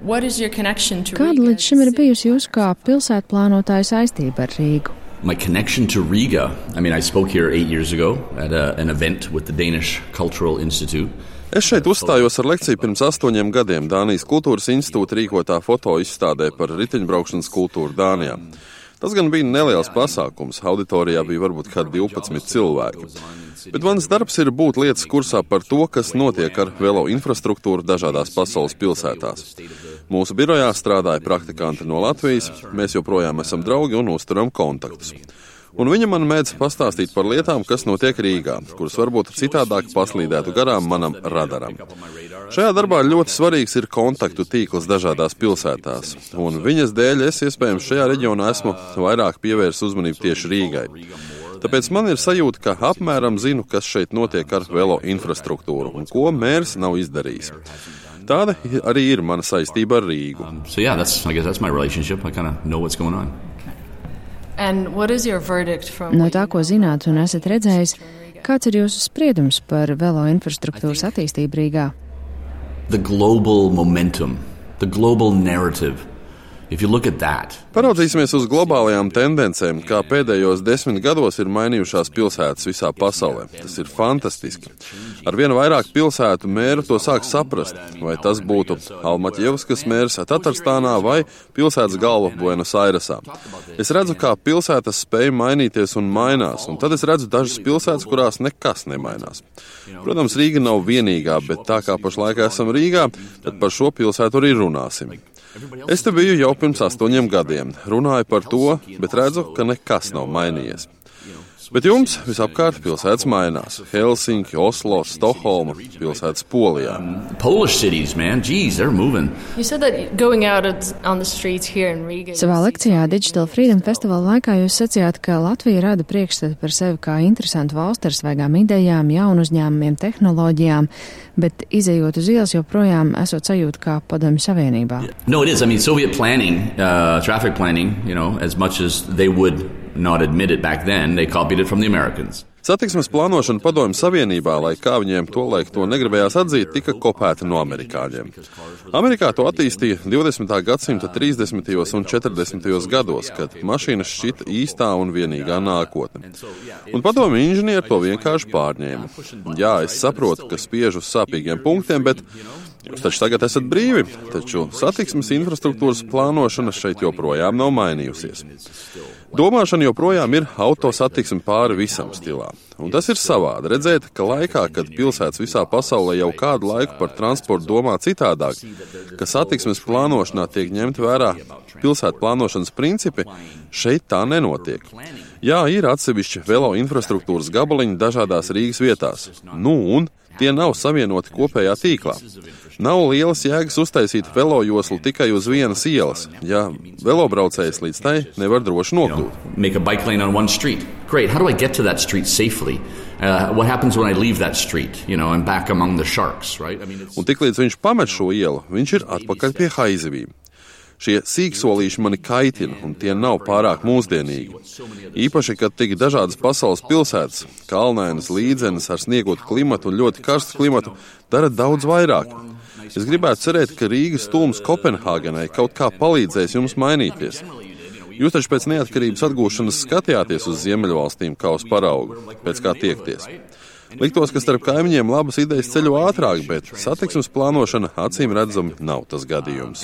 Kāda līdz šim ir bijusi jūsu kā pilsētplānotāja saistība ar Rīgu? My connection to Riga, I spoke here 8 years ago at an event with the Danish Cultural Institute. Es šeit uzstājos ar lekciju pirms 8 gadiem Dānijas kultūras institūta rīkotā fotoizstādē par riteņbraukšanas kultūru Dānijā. Tas gan bija neliels pasākums, auditorijā bija varbūt kādi 12 cilvēki. Bet mans darbs ir būt lietas kursā par to, kas notiek ar velo infrastruktūru dažādās pasaules pilsētās. Mūsu birojā strādāja praktikanti no Latvijas, mēs joprojām esam draugi un uzturam kontaktus. Un viņa man mēdz pastāstīt par lietām, kas notiek Rīgā, kuras varbūt citādāk paslīdētu garām manam radaram. Šajā darbā ļoti svarīgs ir kontaktu tīkls dažādās pilsētās, un viņas dēļ es iespējams šajā reģionā esmu vairāk pievērsis uzmanību tieši Rīgai. Tāpēc man ir sajūta, ka apmēram zinu, kas šeit notiek ar velo infrastruktūru un ko mērs nav izdarījis. Tāda arī ir mana saistība ar Rīgu. That's my relationship. I kind of know what's going on. No tā, ko zināt un esat redzējis, kāds ir jūsu spriedums par velo infrastruktūras attīstību Rīgā? The global momentum, the global narrative. If you look at that. Paraudzīsimies uz globālajām tendencēm, kā pēdējos 10 gados ir mainījušās pilsētas visā pasaulē. Tas ir fantastiski. Arvien vairāk pilsētu mēru to sāk saprast, vai tas būtu Almaķievskas mērs Tatarstānā vai pilsētas galva Buenos Airesā. Es redzu, kā pilsētas spēj mainīties un mainās, un tad es redzu dažas pilsētas, kurās nekas nemainās. Protams, Rīga nav vienīgā, bet tā kā pašlaik esam Rīgā, tad par šo pilsētu arī runāsim. Es te biju jau pirms 8 gadiem, runāju par to, bet redzu, ka nekas nav mainījies. Bet jums visapkārt pilsētas mainās. Helsinki, Oslo, Stokholma, pilsētas Polijā. Polish cities, man, geez, they're moving. Savā lekcijā Digital Freedom Festivala laikā jūs sacījāt, ka Latvija rada priekšstatu par sevi kā interesantu valsti ar svaigām idejām, jaunu uzņēmumiem, tehnoloģijām, bet izejot uz ielas joprojām esot sajūta kā Padomju Savienībā. No, it is. Soviet planning, traffic planning, as much as they would not admit it back then, they copied it from the Americans. Satiksmes plānošana Padomju Savienībā, lai kā viņiem tolaik to negribējās atzīt, tika kopēta no amerikāņiem. Amerikā to attīstīja 20. gadsimta 30. un 40. gados, kad mašīnas šķita īstā un vienīgā nākotne. Un padomju inženieri to vienkārši pārņēma. Jā, es saprotu, ka spiež uz sāpīgiem punktiem, bet jūs taču tagad esat brīvi, taču satiksmes infrastruktūras plānošana šeit joprojām nav mainījusies. Domāšana joprojām ir autosatiksme pāri visam stilā. Un tas ir savādi redzēt, ka laikā, kad pilsētas visā pasaulē jau kādu laiku par transportu domā citādāk, ka satiksmes plānošanā tiek ņemt vērā pilsētu plānošanas principi, šeit tā nenotiek. Jā, ir atsevišķi velo infrastruktūras gabaliņi dažādās Rīgas vietās. Un tie nav savienoti kopējā tīklā. Nav lielas jēgas uztaisīt velojoslu tikai uz vienas ielas, ja velobraucējs līdz tai nevar droši nokļūt. Make a bike lane on one street. Great. How do I get to that street safely? What happens when I leave that street, and back among the sharks, right? Un tiklīdz viņš pamet šo ielu, viņš ir atpakaļ pie haizivīm. Šie sīksolīši mani kaitina, un tie nav pārāk mūsdienīgi. Īpaši, kad tik dažādas pasaules pilsētas, kalnainas, līdzenas ar sniegotu klimatu un ļoti karstu klimatu, dara daudz vairāk. Es gribētu cerēt, ka Rīgas tūms Kopenhāgenai kaut kā palīdzēs jums mainīties. Jūs taču pēc neatkarības atgūšanas skatījāties uz Ziemeļvalstīm kā uz paraugu, pēc kā tiekties. Liktos, ka starp kaimiņiem labas idejas ceļo ātrāk, bet satiksmes plānošana acīm redzami nav tas gadījums.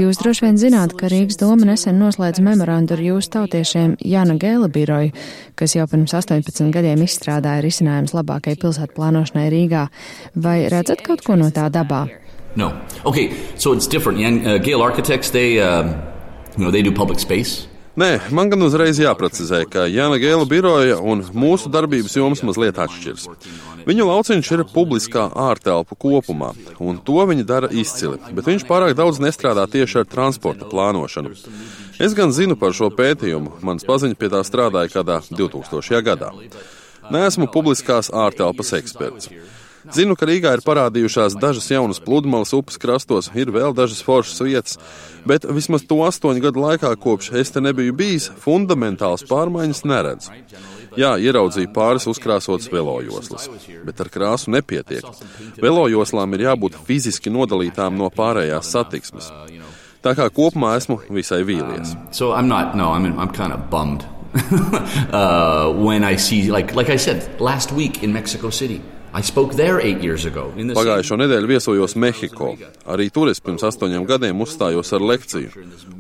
Jūs droši vien zināt, ka Rīgas doma nesen noslēdz memorandu ar jūsu tautiešiem Jāna Gēla biroju, kas jau pirms 18 gadiem izstrādāja risinājums labākai pilsētu plānošanai Rīgā. Vai redzat kaut ko no tā dabā? No. Okay, so it's different. Gale Architects, they do public space. Nē, man gan uzreiz jāprecizē, ka Jāna Gēla biroja un mūsu darbības jomas mazliet atšķiras. Viņu lauciņš ir publiskā ārtelpu kopumā, un to viņi dara izcili, bet viņš pārāk daudz nestrādā tieši ar transporta plānošanu. Es gan zinu par šo pētījumu, mans paziņa pie tā strādāja kādā 2000. gadā. Neesmu publiskās ārtelpas eksperts. Zinu, ka Rīgā ir parādījušās dažas jaunas pludmales upes krastos, ir vēl dažas foršas vietas, bet vismaz to 8 gadu laikā, kopš es te nebiju bijis, fundamentāls pārmaiņas neredzu. Jā, ieraudzīju pāris uzkrāsotas velojoslas, bet ar krāsu nepietiek. Velojoslām ir jābūt fiziski nodalītām no pārējās satiksmes. Tā kā kopumā esmu visai vīlies. I'm kind of bummed. When I see, like I said, last week in Mexico City. I spoke there 8 years ago. Pagājušo nedēļu viesojos Mehiko. Arī tur es pirms 8 gadiem uzstājos ar lekciju.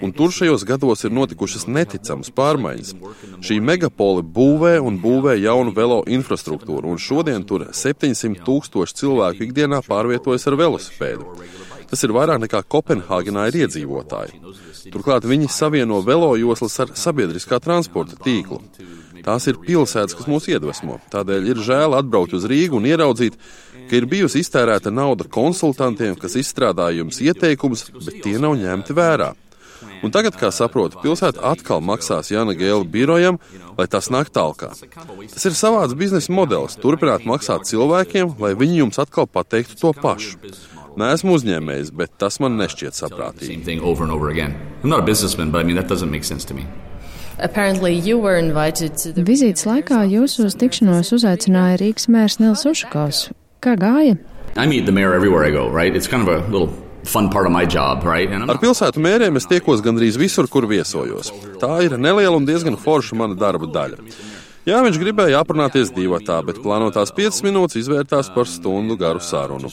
Un tur šajos gados ir notikušas neticamas pārmaiņas. Šī megapoli būvē un būvē jaunu velo infrastruktūru, un šodien tur 700,000 cilvēku ikdienā pārvietojas ar velosipēdu. Tas ir vairāk nekā Kopenhāgenā ir iedzīvotāji. Turklāt viņi savieno velojoslas ar sabiedriskā transporta tīklu. Tās ir pilsētas, kas mūs iedvesmo. Tādēļ ir žēl atbraukt uz Rīgu un ieraudzīt, ka ir bijusi iztērēta nauda konsultantiem, kas izstrādāja jums ieteikumus, bet tie nav ņemti vērā. Un tagad, kā saprotu, pilsēta atkal maksās Jana Gēla birojam, lai tas nāk tālkā. Tas ir savāds biznesa modelis, turpināt maksāt cilvēkiem, lai viņi jums atkal pateiktu to pašu. Neesmu uzņēmējs, bet tas man nešķiet saprātīgi. Vizītes laikā jūs uz tikšanos uzaicināja Rīgas mērs Nils Ušakovs. Kā gāja? Ar pilsētu mēriem es tiekos gandrīz visur, kur viesojos. Tā ir neliela un diezgan forša mana darba daļa. Jā, viņš gribēja aprunāties divatā, bet plānotās 5 minūtes izvērtās par stundu garu sarunu.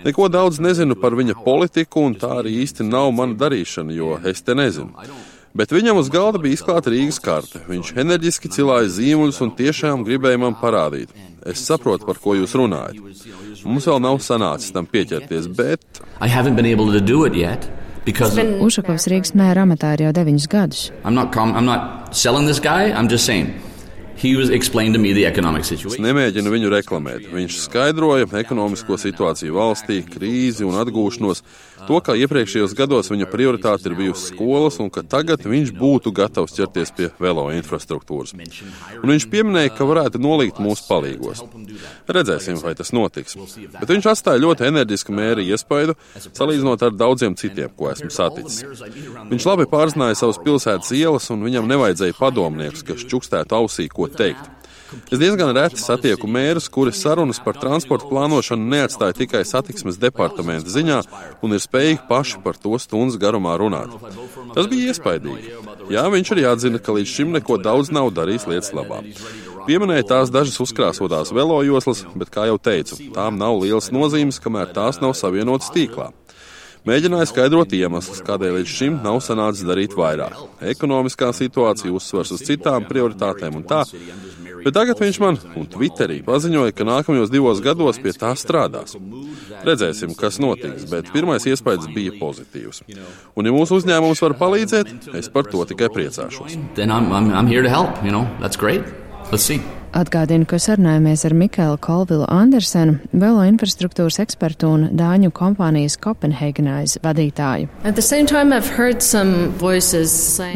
Neko daudz nezinu par viņa politiku, un tā arī īsti nav mana darīšana, jo es te nezinu. Bet viņam uz galda bija izklāta Rīgas karte. Viņš enerģiski cilāja zīmuļus un tiešām gribēja man parādīt. Es saprotu, par ko jūs runājat. Mums vēl nav sanācis tam pieķerties, bet... Ušakovs Rīgas mēra amatā ir jau 9 gadus. I'm not selling this guy, I'm just saying. Es nemēģinu viņu reklamēt. Viņš skaidroja ekonomisko situāciju valstī, krīzi un atgūšanos, to, kā iepriekšējos gados viņa prioritāte ir bijusi skolas un ka tagad viņš būtu gatavs ķerties pie velo infrastruktūras. Un viņš pieminēja, ka varētu nolikt mūsu palīgos. Redzēsim, vai tas notiks. Bet viņš atstāja ļoti enerģisku mēra iespaidu, salīdzinot ar daudziem citiem, ko esmu saticis. Viņš labi pārzināja savas pilsētas ielas un viņam nevajadzēja padomniekus, kas čukstētu ausī, ko teikt. Es diezgan reti satieku mērus, kuri sarunas par transporta plānošanu neatstāja tikai satiksmes departamenta ziņā un ir spējīgi paši par to stundas garumā runāt. Tas bija iespaidīgi. Jā, viņš arī atzina, ka līdz šim neko daudz nav darījis lietas labā. Pieminēja tās dažas uzkrāsotās velojoslas, bet, kā jau teicu, tām nav lielas nozīmes, kamēr tās nav savienotas tīklā. Mēģināja skaidrot iemeslus, kādēļ līdz šim nav sanācis darīt vairāk. Ekonomiskā situācija uzsvars uz citām prioritātēm un tā, bet tagad viņš man un Twitterī paziņoja, ka nākamajos 2 gados pie tā strādās. Redzēsim, kas notiks, bet pirmais iespējas bija pozitīvs. Un ja mūsu uzņēmums var palīdzēt, es par to tikai priecāšos. Atgādinu, ka sarunājamies ar Mikēlu Kolvilu Andersenu, velo infrastruktūras ekspertu un dāņu kompānijas Copenhagenize vadītāju.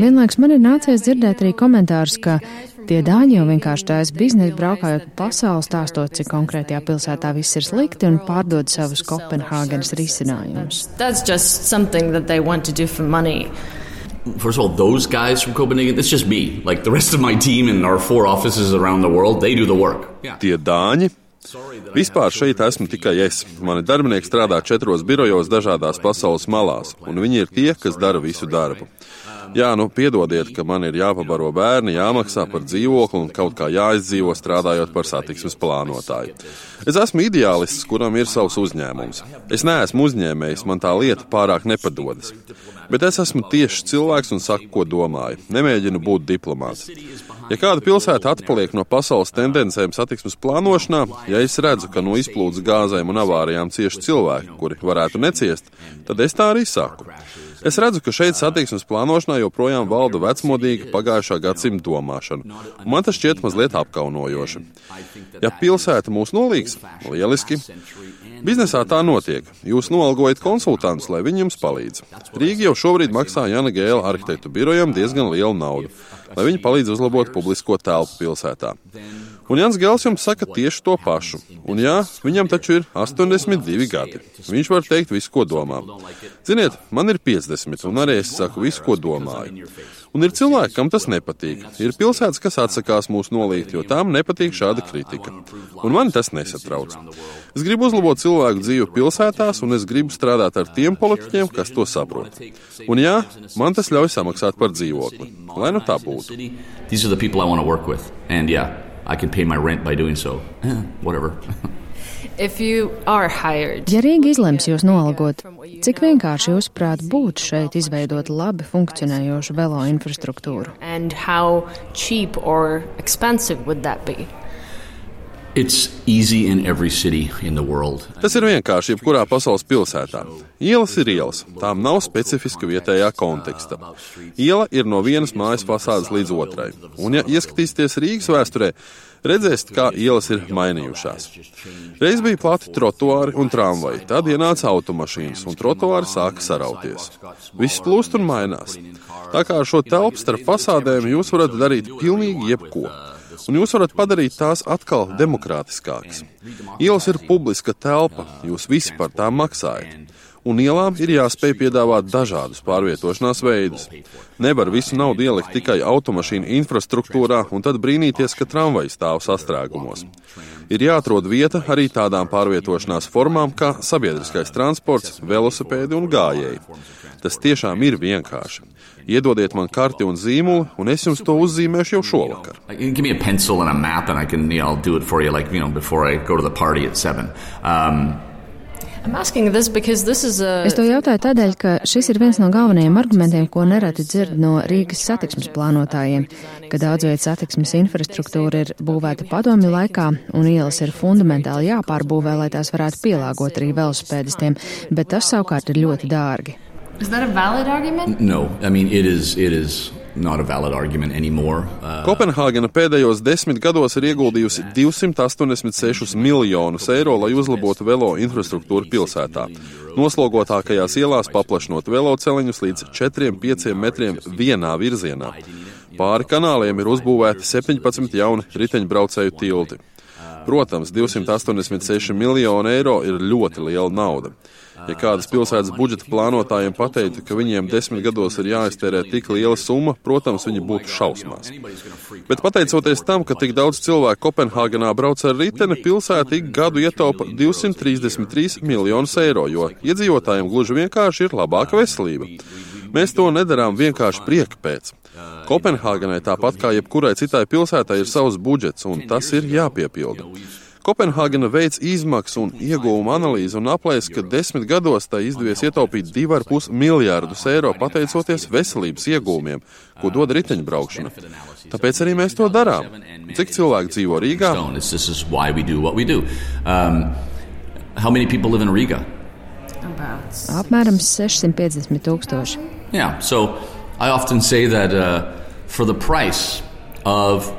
Vienlaikus man ir nācies dzirdēt arī komentārus, ka tie dāņi jau vienkārši taisa biznesu braukājot pa pasauli, stāstot, cik konkrētajā pilsētā viss ir slikti un pārdod savus Kopenhāgenes risinājumus. First of all, those guys from Copenhagen, it's just me. Like the rest of my team and our 4 offices around the world, they do the work. Tie dāņi? Vispār šeit esmu tikai es. Mani darbinieki strādā 4 birojos dažādās pasaules malās, un viņi ir tie, kas dara visu darbu. Jā, piedodiet, ka man ir jāpabaro bērni, jāmaksā par dzīvokli un kaut kā jāizdzīvo strādājot par satiksmes plānotāju. Es esmu ideālists, kuram ir savs uzņēmums. Es neesmu uzņēmējs, man tā lieta pārāk nepadodas. Bet es esmu tieši cilvēks un saku, ko domāju. Nemēģinu būt diplomāts. Ja kāda pilsēta atpaliek no pasaules tendencēm satiksmes plānošanā, ja es redzu, ka no izplūdes gāzēm un avārijām cieši cilvēki, kuri varētu neciest, tad es tā arī saku. Es redzu, ka šeit satiksmes plānošanā joprojām valda vecmodīga pagājušā gadsimta domāšana, un man tas šķiet mazliet apkaunojoši. Ja pilsēta mūs nolīgs, lieliski. Biznesā tā notiek. Jūs noalgojat konsultantus, lai viņi jums palīdz. Rīga jau šobrīd maksā Jana Gēla arhitektu birojam diezgan lielu naudu, lai viņi palīdz uzlabot publisko telpu pilsētā. Un Jans Gels jums saka tieši to pašu. Un jā, viņam taču ir 82 gadi. Viņš var teikt visu, ko domā. Ziniet, man ir 50, un arī es saku visu, ko domāju. Un ir cilvēki, kam tas nepatīk. Ir pilsētas, kas atsakās mūs nolīgt, jo tām nepatīk šāda kritika. Un mani tas nesatrauc. Es gribu uzlabot cilvēku dzīvi pilsētās, un es gribu strādāt ar tiem politiķiem, kas to saprot. Un jā, man tas ļauj samaksāt par dzīvokli. Lai nu tā būtu. These are the people I want to work with. And yeah, I can pay my rent by doing so. Whatever. Ja Rīga izlems jūs noalgot, cik vienkārši jūs prāt būtu šeit izveidot labi funkcionējošu velo infrastruktūru? It's easy in every city in the world. Tas ir vienkārši jebkurā pasaules pilsētā. Ielas ir ielas, tām nav specifiska vietējā konteksta. Iela ir no vienas mājas fasādes līdz otrai. Un ja ieskatīsieties Rīgas vēsturē, redzēsiet, kā ielas ir mainījušās. Reiz bija plati trotuāri un tramvaji, tad ienāca automašīnas un trotuāri sāka sarauties. Viss plūst un mainās. Tā kā ar šo telpu starp fasādēm jūs varat darīt pilnīgi jebko. Un jūs varat padarīt tās atkal demokrātiskākas. Ielas ir publiska telpa, jūs visi par tām maksājat. Un ielām ir jāspēj piedāvāt dažādus pārvietošanās veidus. Nevar visu naudu ielikt tikai automašīnu infrastruktūrā un tad brīnīties, ka tramvaji stāv sastrēgumos. Ir jāatrod vieta arī tādām pārvietošanās formām kā sabiedriskais transports, velosipēdi un gājēji. Tas tiešām ir vienkārši. Iedodiet man karti un zīmuli, un es jums to uzzīmēšu jau šovakar. Give me a pencil and a map, and I'll do it for you, before I go to the party at 7. Es to jautāju tādēļ, ka šis ir viens no galvenajiem argumentiem, ko nereti dzird no Rīgas satiksmes plānotājiem, ka daudzvietu satiksmes infrastruktūra ir būvēta padomju laikā, un ielas ir fundamentāli jāpārbūvē, lai tās varētu pielāgot arī velosipēdistiem, bet tas savukārt ir ļoti dārgi. Is that a valid argument? No, it is not a valid argument anymore. Kopenhāgena pēdējos 10 gados ir ieguldījusi 286 miljonus eiro, lai uzlabotu velo infrastruktūru pilsētā. Noslogotākajās ielās paplašinot veloceliņus līdz 4-5 metriem vienā virzienā. Pāri kanāliem ir uzbūvēti 17 jauni riteņbraucēju tilti. Protams, 286 miljoni eiro ir ļoti liela nauda. Ja kādas pilsētas budžeta plānotājiem pateiktu, ka viņiem 10 gados ir jāiztērē tik liela summa, protams, viņi būtu šausmās. Bet pateicoties tam, ka tik daudz cilvēku Kopenhāgenā brauc ar riteni, pilsēta ik gadu ietaupa 233 miljonus eiro, jo iedzīvotājiem gluži vienkārši ir labāka veselība. Mēs to nedarām vienkārši prieka pēc. Kopenhāgenai tāpat kā jebkurai citai pilsētai ir savs budžets, un tas ir jāpiepilda. Kopenhāgena veids izmaksu un iegūmu analīzi un aplēs, ka 10 gados tai izdevies ietaupīt 2,5 miljārdus eiro pateicoties veselības iegūmiem, ko dod riteņbraukšana. Tāpēc arī mēs to darām. Cik cilvēki dzīvo Rīgā? How many people live in Riga? Apmēram 650 tūkstoši. Yeah, so I often say that for the price of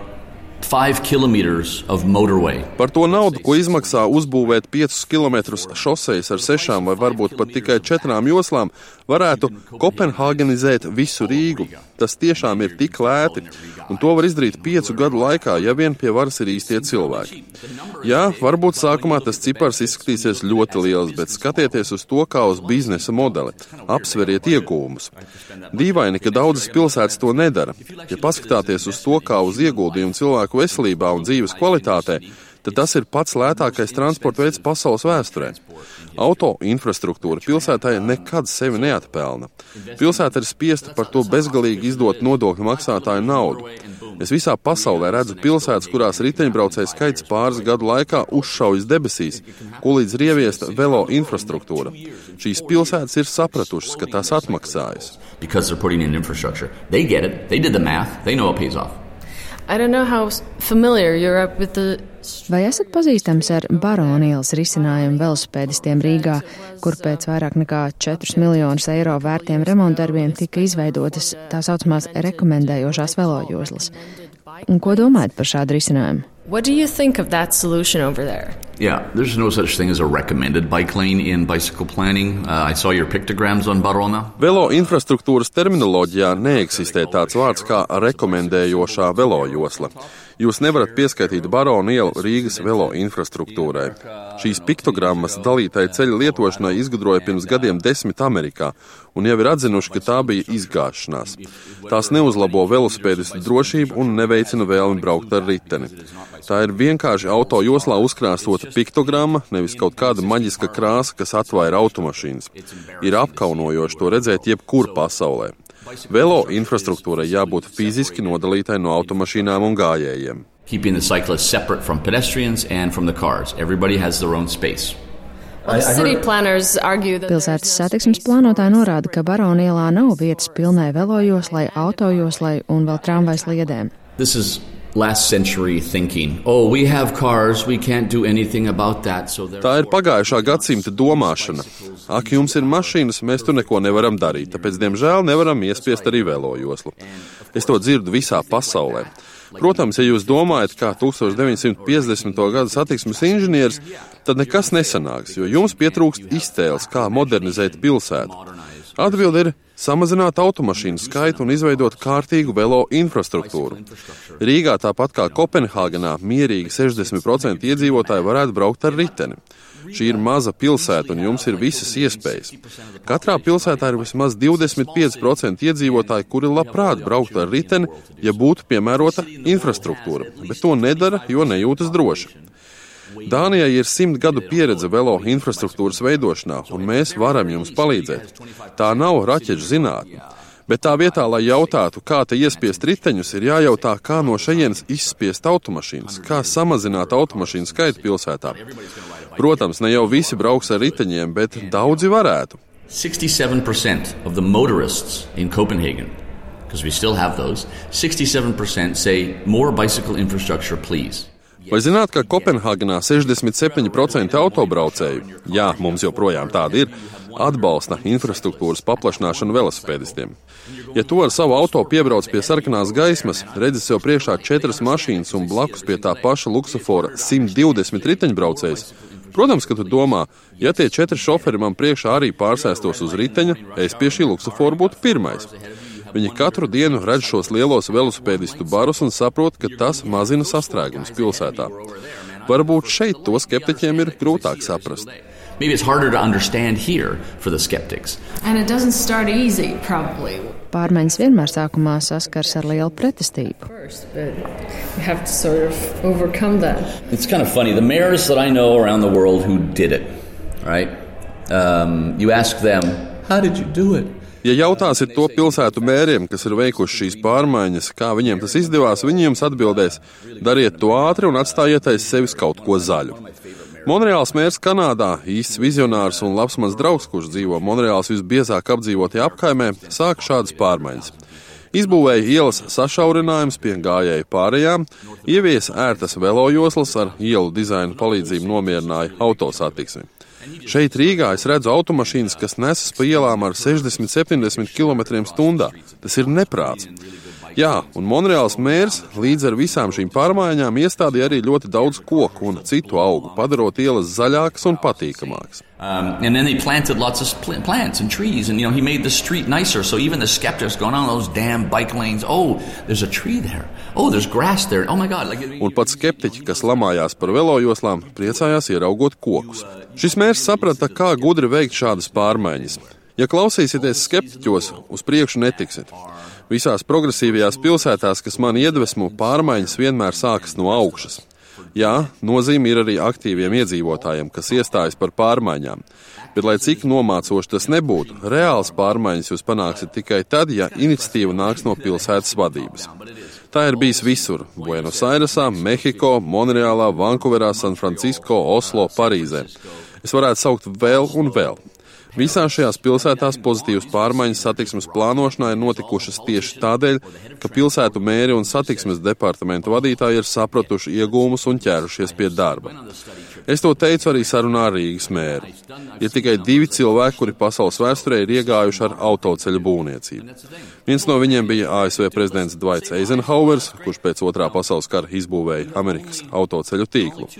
5 kilometers of motorway. Par to naudu, ko izmaksā uzbūvēt 5 kilometrus šosejas ar 6 vai varbūt pat tikai 4 joslām, varētu kopenhāgenizēt visu Rīgu. Tas tiešām ir tik lēti, un to var izdarīt 5 gadu laikā, ja vien pie varas ir īstie cilvēki. Jā, varbūt sākumā tas cipars izskatīsies ļoti liels, bet skatieties uz to kā uz biznesa modeli. Apsveriet iegūmus. Dīvaini, ka daudzas pilsētas to nedara. Ja paskatāties uz to kā uz ieguldījumu cilvēku veselībā un dzīves kvalitātē, tad tas ir pats lētākais transporta veids pasaules vēsturē. Auto infrastruktūra pilsētai nekad sevi neatpelna. Pilsēta ir spiesta par to bezgalīgi izdot nodokļu maksātāju naudu. Es visā pasaulē redzu pilsētas, kurās riteņbraucēju skaits pāris gadu laikā uzšaujas debesīs, ko līdz ir ieviesta velo infrastruktūra. Šīs pilsētas ir sapratušas, ka tās atmaksājas. Vai esat pazīstams ar Barona ielas risinājumu velosipēdistiem Rīgā, kur pēc vairāk nekā 4 miljonus eiro vērtiem remontdarbiem tika izveidotas tā saucamās rekomendējošās velojoslas? Un ko domājat par šādu risinājumu? What do you think of that solution over there? Yeah, there's no such thing as a recommended bike lane in bicycle planning. I saw your pictograms on Barona. Velo infrastruktūras terminoloģijā neeksistē tāds vārds kā rekomendējošā velo josla. Jūs nevarat pieskaitīt Barona ielu Rīgas velo infrastruktūrai. Šīs piktogrammas dalītai ceļa lietošanai izgudroja pirms gadiem 10 Amerikā, un jau ir atzinuši, ka tā bija izgāšanās. Tās neuzlabo velosipēdistu drošību un neveicina vēlmi braukt ar riteni. Tā ir vienkārši auto joslā uzkrāsota piktogramma, nevis kaut kāda maģiska krāsa, kas atvaira automašīnas. Ir apkaunojoši to redzēt jebkur pasaulē. Velo infrastruktūrai jābūt fiziski nodalītai no automašīnām un gājējiem. Keeping the cyclists separate from pedestrians and from the cars. Everybody has their own space. Pilsētas satiksmes plānotāji norāda, ka Barona ielā nav vietas pilnai velojoslai, autojoslai un vēl tramvajas sliedēm. This is last century thinking. Oh, we have cars, we can't do anything about that. Tā ir pagājušā gadsimta domāšana. Ak, jums ir mašīnas, mēs tur neko nevaram darīt, tāpēc, diemžēl, nevaram iespiest arī velojoslu. Es to dzirdu visā pasaulē. Protams, ja jūs domājat, kā 1950. gada satiksmes inženieris, tad nekas nesanāks, jo jums pietrūkst iztēles, kā modernizēt pilsētu. Atbilde ir samazināt automašīnu skaitu un izveidot kārtīgu velo infrastruktūru. Rīgā, tāpat kā Kopenhāgenā, mierīgi 60% iedzīvotāji varētu braukt ar riteni. Šī ir maza pilsēta un jums ir visas iespējas. Katrā pilsētā ir vismaz 25% iedzīvotāji, kuri labprāt brauktu ar riteni, ja būtu piemērota infrastruktūra, bet to nedara, jo nejūtas droši. Dānijai ir 100 gadu pieredze velo infrastruktūras veidošanā, un mēs varam jums palīdzēt. Tā nav raķešu zinātne. Bet tā vietā, lai jautātu, kā te iespiest riteņus, ir jājautā, kā no šejienes izspiest automašīnas, kā samazināt automašīnu skaitu pilsētā. Protams, ne jau visi brauks ar riteņiem, bet daudzi varētu. 67% of the motorists in Copenhagen, because we still have those, 67% say more bicycle infrastructure, please. Vai zināt, ka Kopenhāgenā 67% autobraucēju, jā, mums joprojām tāda ir, atbalsta infrastruktūras paplašināšanu velosipēdistiem. Ja tu ar savu auto piebrauc pie sarkanās gaismas, redzi sev priekšā 4 mašīnas un blakus pie tā paša luksofora 120 riteņbraucējs, protams, ka tu domā, ja tie 4 šoferi man priekšā arī pārsēstos uz riteņa, es pie šī luksofora būtu pirmais. Viņi katru dienu redz šos lielos velosipēdistu barus un saprot, ka tas mazina sastrēgumus pilsētā. Varbūt šeit to skeptiķiem ir grūtāk saprast. Maybe it's harder to understand here for the skeptics. And it doesn't start easy, probably. Pārmaiņas vienmēr sākumā saskars ar lielu pretestību. It's kind of funny. The mayors that I know around the world who did it, right? You ask them, how did you do it? Ja jautāsiet to pilsētu mēriem, kas ir veikuši šīs pārmaiņas, kā viņiem tas izdevās, viņi jums atbildēs, dariet to ātri un atstājiet aiz sevis kaut ko zaļu. Monreāls mērs Kanādā, īsts vizionārs un labs mans draugs, kurš dzīvo Monreāls visbiezāk apdzīvotajā apkaimē, sāka šādas pārmaiņas. Izbūvēja ielas sašaurinājums pie gājēju pārējām, ieviesa ērtas velojoslas ar ielu dizainu palīdzību nomierināja autosatiksmi. Šeit Rīgā es redzu automašīnas, kas nesas pa ielām ar 60-70 km/h. Tas ir neprāts. Jā, un Monreāls mērs līdz ar visām šīm pārmaiņām iestādīja arī ļoti daudz koku un citu augu, padarot ielas zaļākas un patīkamākas. And then they planted lots of plants and trees, and he made the street nicer. So even the skeptics going on those damn bike lanes, oh, there's a tree there. Oh, there's grass there. Oh my God. Un pat skeptiķi, kas lamājās par velojoslām, priecājās ieraugot kokus. Šis mērs saprata, kā gudri veikt šādas pārmaiņas. Ja klausīsieties skeptiķos, uz priekšu netiksit. Visās progresīvajās pilsētās, kas man iedvesmo, pārmaiņas vienmēr sākas no augšas. Jā, nozīme ir arī aktīviem iedzīvotājiem, kas iestājas par pārmaiņām. Bet, lai cik nomācoši tas nebūtu, reāls pārmaiņas jūs panāksiet tikai tad, ja iniciatīva nāks no pilsētas vadības. Tā ir bijis visur – Buenos Airesā, Mehiko, Monreālā, Vankuverā, San Francisco, Oslo, Parīzē. Es varētu saukt vēl un vēl. Visās šajās pilsētās pozitīvas pārmaiņas satiksmes plānošanā ir notikušas tieši tādēļ, ka pilsētu mēri un satiksmes departamentu vadītāji ir sapratuši iegūmus un ķērušies pie darba. Es to teicu arī sarunā ar Rīgas mēru. Ir tikai 2 cilvēki, kuri pasaules vēsturē ir iegājuši ar autoceļu būvniecību. Viens no viņiem bija ASV prezidents Dwights Eisenhowers, kurš pēc Otrā pasaules kara izbūvēja Amerikas autoceļu tīklu.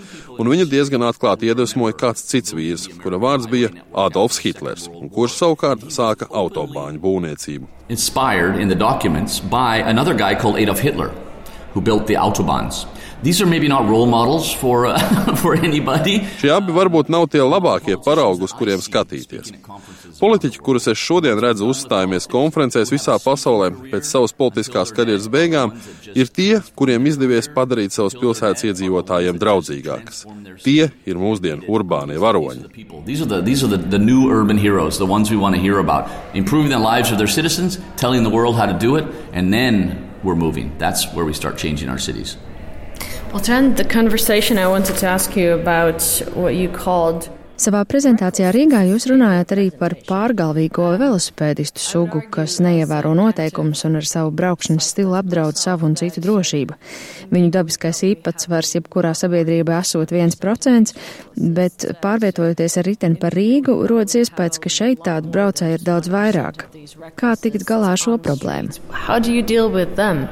Un viņu diezgan atklāti iedvesmoja kāds cits vīrs, kura vārds bija Adolfs Hitlers, un kurš savukārt sāka autobāņu būvniecību. Inspired in the documents by another guy called Adolf Hitler, who built the Autobahns. These are maybe not role models for anybody. Šie abi varbūt nav tie labākie paraugi, uz kuriem skatīties. Politiķi, kurus es šodien redzu uzstājamies konferencēs visā pasaulē pēc savas politiskās karjeras beigām, ir tie, kuriem izdevies padarīt savas pilsētas iedzīvotājiem draudzīgākas. Tie ir mūsdienu urbānie varoņi. These are the new urban heroes, the ones we want to hear about. Improving the lives of their citizens, telling the world how to do it, and then we're moving. That's where we start changing our cities. Well, to end the conversation, I wanted to ask you about what you called. Savā prezentācijā Rīgā jūs runājat arī par pārgalvīgo velosipēdistu sugu, kas neievēro noteikumus un ar savu braukšanas stilu apdraud savu un citu drošību. Viņu dabiskais īpatsvars jebkurā sabiedrībā esot 1%, bet pārvietojoties ar riteni par Rīgu, rodas iespējas, ka šeit tādu braucēju ir daudz vairāk. Kā tikt galā ar šo problēmu? How do you deal with them?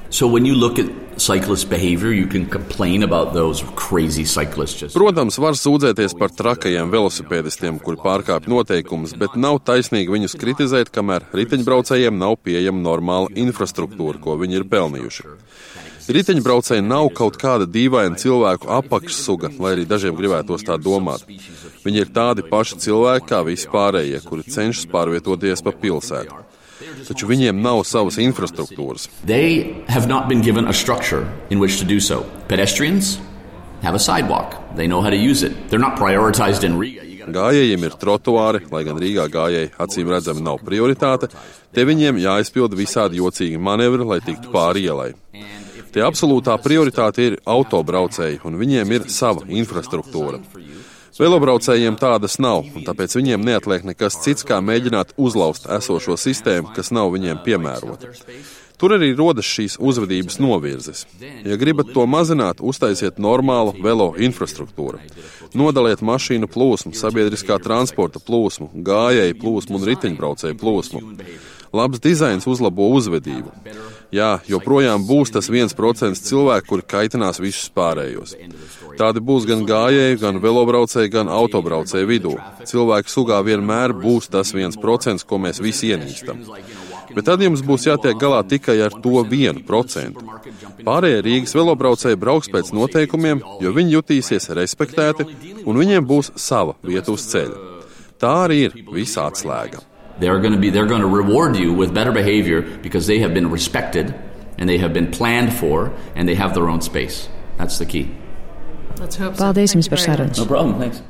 So when you look at cyclist behavior, you can complain about those crazy cyclists. Protams, var sūdzēties par trakajiem velosipēdistiem, kuri pārkāpj noteikumus, bet nav taisnīgi viņus kritizēt, kamēr riteņbraucējiem nav pieejama normāla infrastruktūra, ko viņi ir pelnījuši. Riteņbraucēji nav kaut kāda dīvaina cilvēku apakšsuga, lai arī dažiem gribētos tā domāt. Viņi ir tādi paši cilvēki kā visi pārējie, kuri cenšas pārvietoties pa pilsētu. Taču viņiem nav savas infrastruktūras. They have not been given a structure in which to do so. Pedestrians have a sidewalk. They know how to use it. They're not prioritized in Riga. Gājējiem ir trotuāri, lai gan Rīgā gājēji acīm redzami nav prioritāte, te viņiem jāizpilda visādi jocīgi manevri, lai tiktu pāri ielai. Te absolūtā prioritāte ir autobraucēji, un viņiem ir sava infrastruktūra. Velobraucējiem tādas nav, un tāpēc viņiem neatliek nekas cits, kā mēģināt uzlauzt esošo sistēmu, kas nav viņiem piemērota. Tur arī rodas šīs uzvedības novirzes. Ja gribat to mazināt, uztaisiet normālu velo infrastruktūru. Nodaliet mašīnu plūsmu, sabiedriskā transporta plūsmu, gājēju plūsmu un riteņbraucēju plūsmu. Labs dizains uzlabo uzvedību. Jā, joprojām būs tas 1% cilvēku, kuri kaitinās visus pārējos. Tādi būs gan gājēji, gan velobraucēji, gan autobraucēji vidū. Cilvēku sugā vienmēr būs tas 1%, ko mēs visi ienīstam. Bet tad jums būs jātiek galā tikai ar to 1%. Pārējie Rīgas velobraucēji brauks pēc noteikumiem, jo viņi jutīsies respektēti un viņiem būs sava vieta uz ceļa. Tā arī ir visa atslēga. They're going to reward you with better behavior because they have been respected and they have been planned for and they have their own space. That's the key. Paldies jums par sarunu. No problem, thanks.